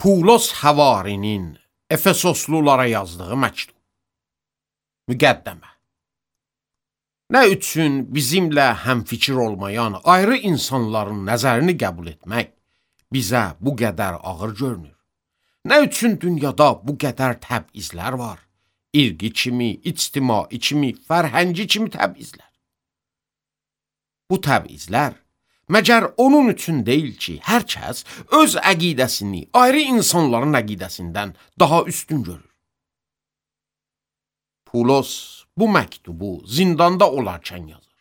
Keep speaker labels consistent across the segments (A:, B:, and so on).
A: Pulos Həvarinin Efesoslulara yazdığı məktub. Müqəddəmə. Nə üçün bizimlə həmfikir olmayan ayrı insanların nəzərini qəbul etmək bizə bu qədər ağır görünür? Nə üçün dünyada bu qədər təbizlər var? İrqi kimi, ictimai kimi, fərhəngi kimi təbizlər. Bu təbizlər məgər onun üçün deyil ki, hər kəs öz əqidəsini ayrı insanların əqidəsindən daha üstün görür. Pulos bu məktubu zindanda olarkən yazır.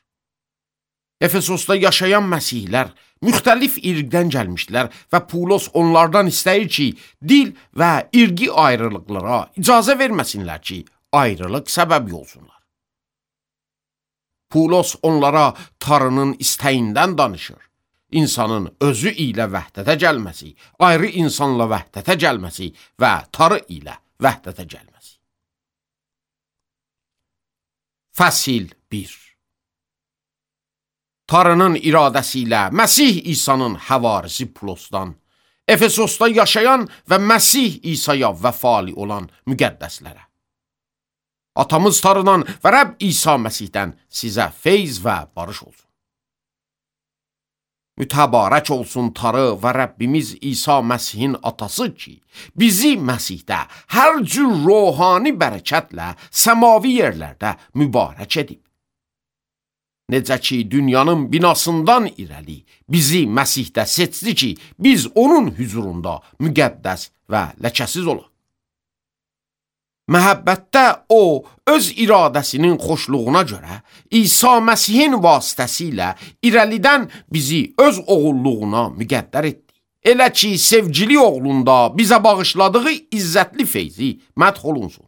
A: Efesosda yaşayan məsihlər müxtəlif irqdən gəlmişdilər və Pulos onlardan istəyir ki, dil və irqi ayrılıqlara icazə verməsinlər ki, ayrılıq səbəbi olsunlar. Pulos onlara Tanrının istəyindən danışır. İnsanın özü ilə vəhdətə gəlməsi, ayrı insanla vəhdətə gəlməsi və Tanrı ilə vəhdətə gəlməsi. Fəsil 1. Tanrının iradəsi ilə Məsih İsa'nın həvarisi Pulosdan, Efesosda yaşayan və Məsih İsa'ya vəfali olan müqəddəslərə. Atamız Tanrıdan və Rəbb İsa Məsihdən sizə feyz və barış olsun. Mütəbarək olsun Tanrı və Rəbbimiz İsa Məsihin atası ki, bizi Məsihdə hər cür ruhani bərəkətlə səmavi yerlərdə mübarək edib. Necə ki, dünyanın binasından irəli bizi Məsihdə seçdi ki, biz onun hüzurunda müqəddəs və ləkəsiz olaq. Məhəbbətdə o, öz iradəsinin xoşluğuna görə İsa Məsihin vasitəsilə irəlidən bizi öz oğulluğuna müqəddər etdi. Elə ki, sevgili oğlunda bizə bağışladığı izzətli feyzi mədh olunsun.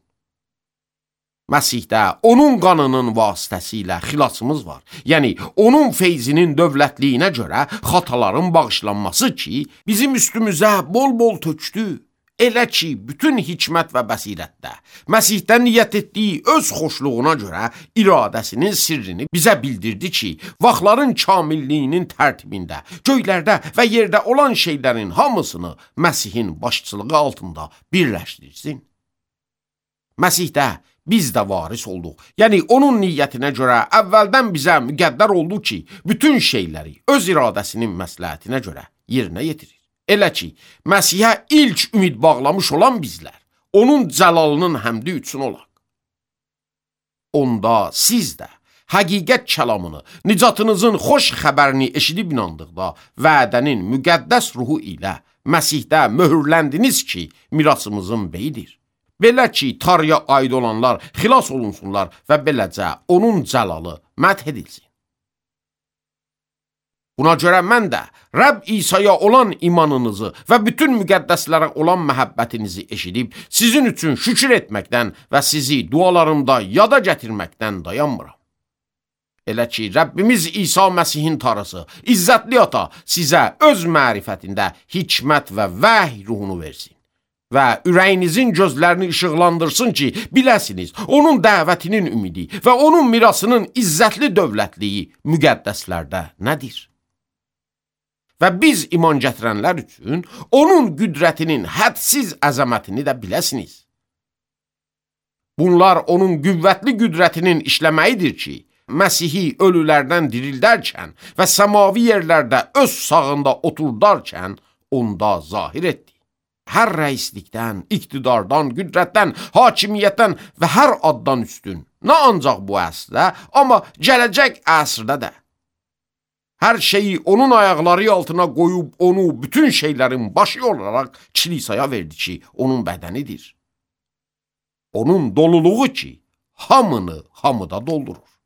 A: Məsihdə onun qanının vasitəsilə xilasımız var. Yəni, onun feyzinin dövlətliyinə görə xataların bağışlanması ki, bizim üstümüzə bol-bol tökdü. Elə ki, bütün hikmət və bəsirətdə Məsihdən niyyət etdiyi öz xoşluğuna görə iradəsinin sirrini bizə bildirdi ki, vaxtların kamilliyinin tərtibində, göylərdə və yerdə olan şeylərin hamısını Məsihin başçılığı altında birləşdirsin. Məsihdə biz də varis olduq. Yəni, onun niyyətinə görə əvvəldən bizə müqəddər oldu ki, bütün şeyləri öz iradəsinin məsləhətinə görə yerinə yetirir. Elə ki, Məsihə ilk ümid bağlamış olan bizlər, onun cəlalının həmdi üçün olaq. Onda siz də həqiqət kəlamını, nicatınızın xoş xəbərini eşidib inandıqda, vədənin müqəddəs ruhu ilə Məsihdə möhürləndiniz ki, mirasımızın beyidir. Belə ki, Tanrıya aid olanlar xilas olunsunlar və beləcə onun cəlalı mədh edilsin. Buna görə mən də Rəbb İsa'ya olan imanınızı və bütün müqəddəslərə olan məhəbbətinizi eşidib, sizin üçün şükür etməkdən və sizi dualarımda yada gətirməkdən dayanmıram. Elə ki, Rəbbimiz İsa Məsihin Tanrısı, İzzətli Ata sizə öz mərifətində hikmət və vəhy ruhunu versin və ürəyinizin gözlərini işıqlandırsın ki, biləsiniz, onun dəvətinin ümidi və onun mirasının izzətli dövlətliyi müqəddəslərdə nədir? Və biz iman gətirənlər üçün onun qüdrətinin hədsiz əzəmətini də biləsiniz. Bunlar onun qüvvətli qüdrətinin işləməyidir ki, Məsihi ölülərdən dirildərkən və səmavi yerlərdə öz sağında oturdarkən onda zahir etdi. Hər rəislikdən, iqtidardan, qüdrətdən, hakimiyyətdən və hər addan üstün, nə ancaq bu əsrdə, amma gələcək əsrdə də. Hər şeyi onun ayaqları altına qoyub onu bütün şeylərin başı olaraq kilisaya verdi ki, onun bədənidir. Onun doluluğu ki, hamını hamıda doldurur.